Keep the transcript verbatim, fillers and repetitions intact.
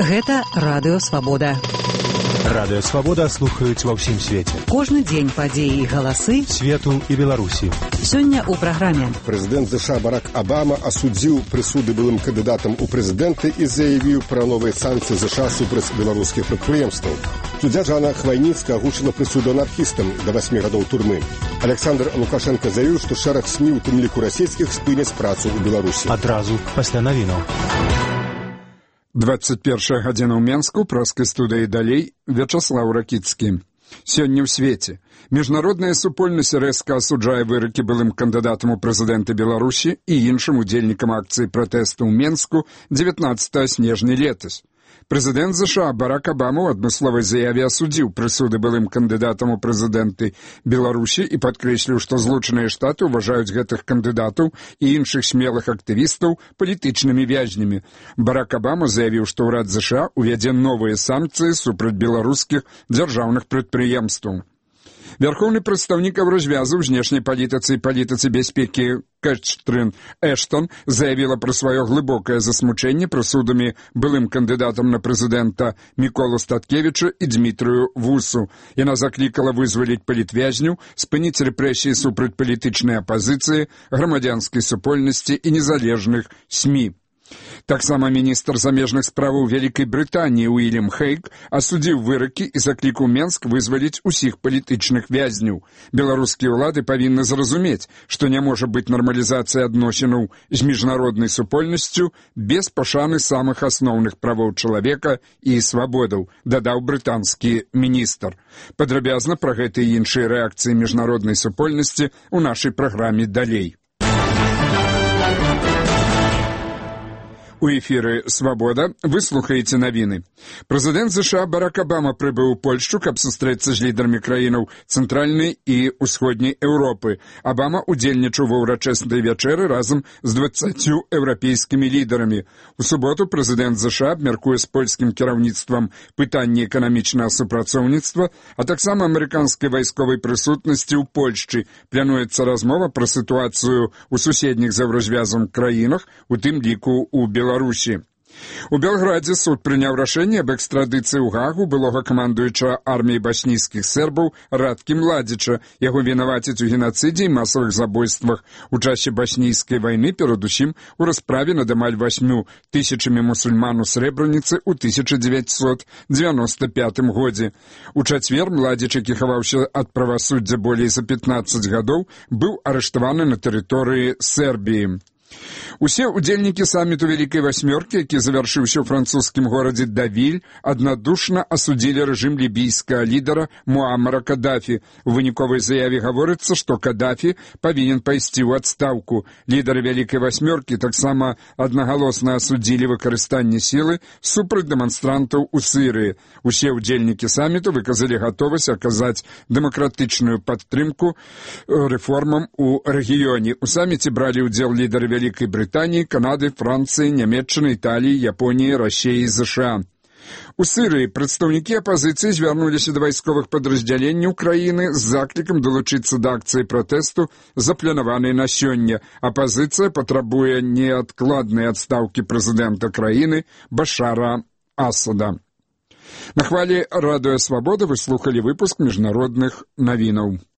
Гэта Радыё Свабода. Радыё Свабода слухаюць ва ўсім свеце. Кожны дзень падзеі і галасы свету і Беларусі. Сёння ў праграме. Прэзідэнт ЗША Барак Абама асудзіў прысуды былым кандыдатам у прэзідэнты і заявіў пра новыя санкцыі ЗША супраць беларускіх прадпрыемстваў. Суддзя Жанна Хвайніцкая агучыла прысуду анархістам да васьмі гадоў турмы. Александр Лукашенко заявіў, што шэраг СМІ, у тым ліку расійскіх, спыняць працу ў Беларусі. Адразу пасля навінаў. двадцать первая гадзіна ў Менску, праскай студыі далей, Вячаслаў Ракіцкі. Сёння ў свеце. Міжнародная супольнасць рэзка асуджае выракі былым кандыдатам у прэзідэнты Беларусі і іншым удзельнікам акцыі пратэсту ў Менску дзевятнаццатага снежня летась. Прэзідэнт ЗША Барак Абама ў адмысловай заяве асудзіў прысуды былым кандыдатам у прэзідэнты Беларусі і падкрэсліў, што Злучаныя Штаты ўважаюць гэтых кандыдатаў і іншых смелых актывістаў палітычнымі вязнямі. Барак Абама заявіў, што ўрад ЗША увядзе новыя санкцыі супраць беларускіх дзяржаўных прадпрыемстваў. Вярхоўны прадстаўнік развязу ў знешняй палітыцы і палітыцы бяспекі Кэтрын Эштон заявіла пра сваё глыбокае засмучэнне прысудамі былым кандыдатам на прэзідэнта Міколу Статкевічу і Дмітрыю Вусу. Яна заклікала вызваліць палітвязняў, спыніць рэпрэсіі супраць палітычнай апазіцыі, грамадзянскай супольнасці і незалежных СМІ. Таксама міністр замежных справаў Вялікай Брытаніі Уільям Хейг асудзіў выракі і заклікаў Менск вызваліць усіх палітычных вязняў. Беларускія ўлады павінны зразумець, што не можа быць нармалізацыя адносінаў з міжнароднай супольнасцю без пашаны самых асноўных правоў чалавека і свабодаў, дадаў брытанскі міністр. Падрабязна пра гэта і іншыя рэакцыі міжнароднай супольнасці ў нашай праграме далей. У эфіры «Свабода» вы слухаеце навіны. Прэзідэнт ЗША Барак Абама прыбыў у Польшчу, каб сустрэцца з лідарамі краінаў цэнтральнай і ўсходняй Еўропы. Абама удзельнічаў ва ўрачыстай вячэры разам з дваццаццю еўрапейскімі лідарамі. У суботу прэзідэнт ЗША абмяркуе з польскім кіраўніцтвам пытанні эканамічнага супрацоўніцтва, а таксама амерыканскай вайсковай прысутнасці ў Польшчы. Плануецца размова пра сітуацыю ў суседніх з еўразвязам краінах, у тым ліку ў Беларусі. Беларусі. У Белградзе суд прыняў рашэнне аб экстрадыцыі ў Гагу былога камандуючага арміі башнійскіх сербаў Радкі Младзіча. Яго вінавацяць у генацыдзе і масавых забойствах у часе башнійскай вайны, перадусім у расправе над амаль васьмю тысячамі мусульман у Срэбраніцы ў тысяча дзевяцьсот дзевяноста пятым годзе. У чацвер Младзіч, які хаваўся ад правасуддзя болей за пятнаццаць гадоў, быў арыштаваны на тэрыторыі Сербіі. Усе удзельнікі саміту Вялікай васьмёркі, які завяршыўся ў французскім горадзе Давіль, аднадушна асудзілі рэжым лібійскага лідара Муаммара Кадафі. У выніковай заяве гаворыцца, што Кадафі павінен пайсці ў адстаўку. Лідары Вялікай васьмёркі таксама аднагалосна асудзілі выкарыстанне сілы супраць дэманстрантаў у Сірыі. Усе удзельнікі саміту выказалі гатовасць аказаць дэмакратычную падтрымку рэформам у рэгіёне. У саміце бралі ўдзел лідары Вялікай Брытаніі, Канады, Францыі, Нямецчыны, Італіі, Японіі, Расіі і ЗША. У Сірыі прадстаўнікі апазіцыі звярнуліся да вайсковых падраздзяленняў краіны з заклікам далучыцца да акцыі пратэсту, запланаванай на сёння. Апазіцыя патрабуе неадкладнай адстаўкі прэзідэнта краіны Башара Асада. На хвалі Радыё Свабода вы слухалі выпуск міжнародных навінаў.